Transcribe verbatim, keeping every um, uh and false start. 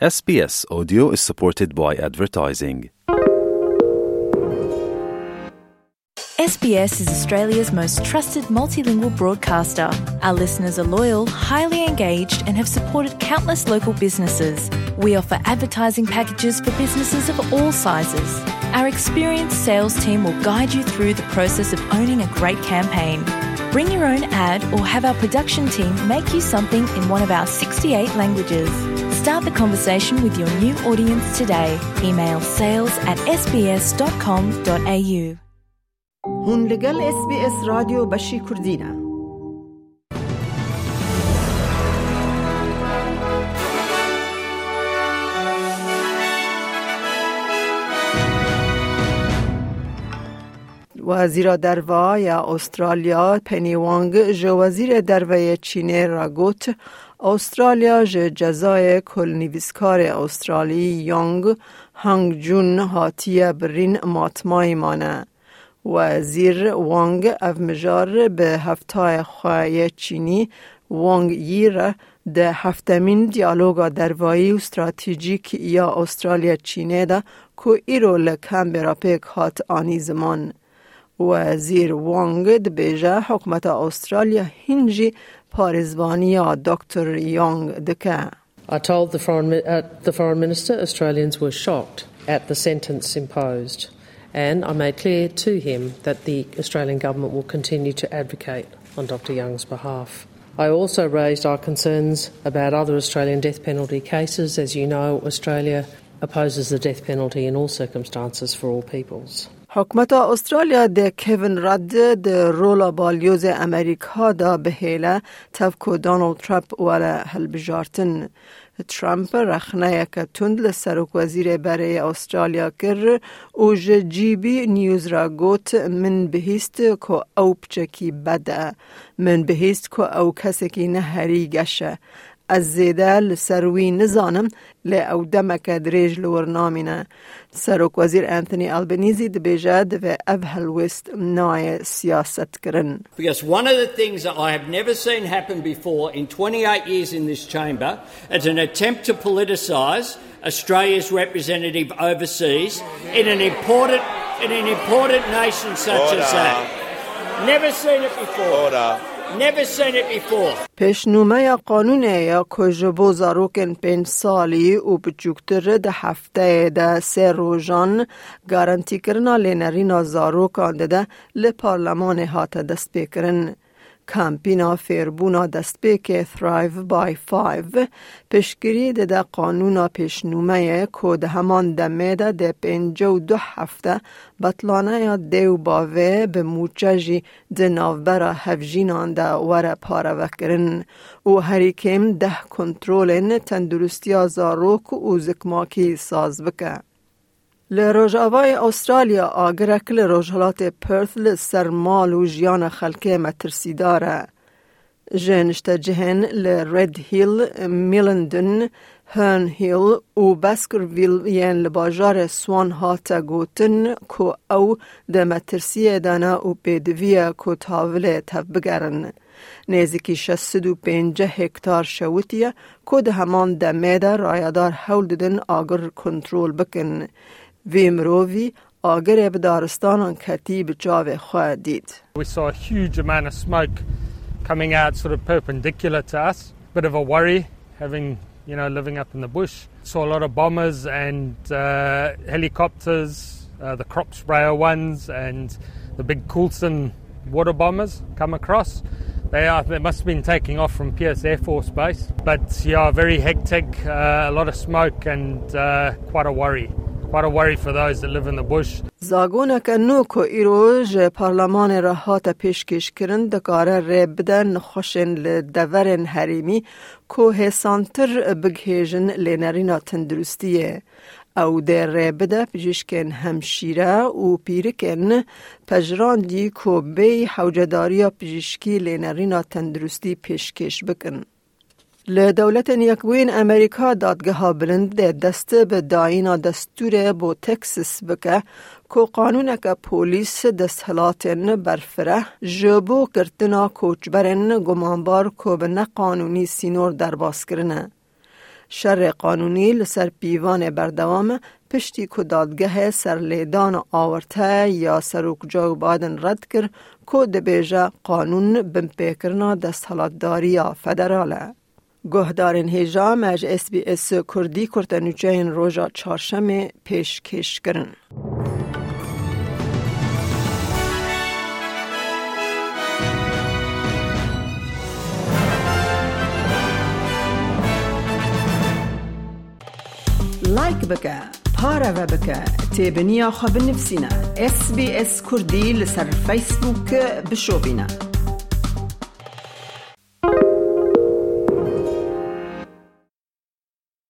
S B S Audio is supported by advertising. S B S is Australia's most trusted multilingual broadcaster. Our listeners are loyal, highly engaged, and have supported countless local businesses. We offer advertising packages for businesses of all sizes. Our experienced sales team will guide you through the process of owning a great campaign. Bring your own ad or have our production team make you something in one of our sixty-eight languages. Start the conversation with your new audience today. Email sales at S B S dot com dot A U. Hûn li gel S B S Radyo Beşî Kurdî ne. Wezîra Derve ya Australya Penny Wong ji Wezîrê Derve yê Çînê re got, Australya ji cezayê ku li nivîskarê Australî Yong Hang Jun hatiye birîn matmayî mane. Wezîr Wang ev mijar bi heftayê xwe yê Çînî Wang Yi re di heftemîn diyaloga dervayî û stratejîk ya Australya-Çînê de ku îro li Canberra pêk hat anî ziman. Wezîr Wang dibêje hikûmeta Australya hîn jî parêzvaniya Doktor Yong dike. I told the foreign, mi- uh, the foreign minister Australians were shocked at the sentence imposed, and I made clear to him that the Australian government will continue to advocate on Doctor Young's behalf. I also raised our concerns about other Australian death penalty cases. As you know, Australia opposes the death penalty in all circumstances for all peoples. Hikûmeta Australya de Kevin Rudd di rola balyozê Amerîka de bihêle tev ku Donald Trump were hilbijartin. Trump rexneyeke tund li serokwezîrê berê yê Australya kir û ji G B News re got, Min bihîst ku ew piçekî bed e. Min bihîst ku ew kesekî neherî geş e. Ez zêde li ser wî nizanim, lê ew demeke dirêj li wir namîne. Serokwezîr Anthony Albanese dibêje, divê ev helwêst nayê siyasetkirin. Because one of the things that I have never seen happen before in twenty-eight years in this chamber is an attempt to politicise Australia's representative overseas in an important, in an important nation such as that. Never seen it before. Never seen it before. Pêşnûmeya qanûnê ya ku ji bo zarokên pênc salî û biçûktir di hefteyê de sê rojan garantîkirina lênerîna zarokan dide, li parlemanê hate destpêkirin. Kampîna fêrbûna destpêkê Thrive by Five piştgirî dide qanûna pêşnûmeyê ku di heman demê de dê pêncî û du hefte betlaneya dê û bavê bi mûçe jî di navbera hevjînan de were parevekirin û herî kêm deh kontrolên tenduristiya zarok û zikmakî saz bike. Li rojavayê Australya agirek li rojhilatê Perth li ser mal û jiyana xelkê metirsîdar e. Ji niştecihên li Red Hill, Millendon, Herne Hill û Baskerville yên li bajarê Swan hate gotin ku ew di metirsiyê de ne û pêdivî ye ku tavilê tevbigerin. Nêzîkî şeş sed û pêncî hektar şewitiye ku di heman demê de rayedar hewl didin agir kontrol bikin. Vê mirovî agirê bi daristanan ketî bi çavê xwe dît. We saw a huge amount of smoke coming out sort of perpendicular to us. Bit of a worry having, you know, living up in the bush. Saw a lot of bombers and, uh, helicopters, uh, the crop sprayer ones and the big Coulson water bombers come across. They are, they must have been taking off from Pearce Air Force Base. But yeah, very hectic, uh, a lot of smoke and, uh, quite a worry. Quite a worry for those that live in the bush. Zagoneke nû ku îro ji parlemanê re hate pêşkêşkirin, dikare rê bide nexweşên li deverên herêmî ku hêsantir bigihêjin lênerîna tenduristiyê. Ew dê rê bide pijîşkên hemşîre û pîrikên pejirandî ku bêyî hewcedariya pijîşkî lênerîna tenduristî pêşkêş bikin. Li Dewletên Yekbûyîn Amerîka, Dadgeha Bilind dê dest bi dayîna destûrê bo Texas bike ku qanûneke polîs desthilatên berfireh ji bo girtina koçberên gumanbar ku bi neqanûnî sînor derbas kirine. Şerê qanûnî li ser pîvanê berdewam e, piştî ku dadgehê serlêdana awarte ya Serok Joe Biden red kir, ku dibêje qanûn binpêkirina desthilatdariya federal e. Guhdarên hêja me ji S B S Kurdî kurtenûçeyên roja çarşemê pêşkêş kirin. Like bike, pareve bike, têbiniya xwe binivîsîne. S B S Kurdî li ser Facebook bişopîne.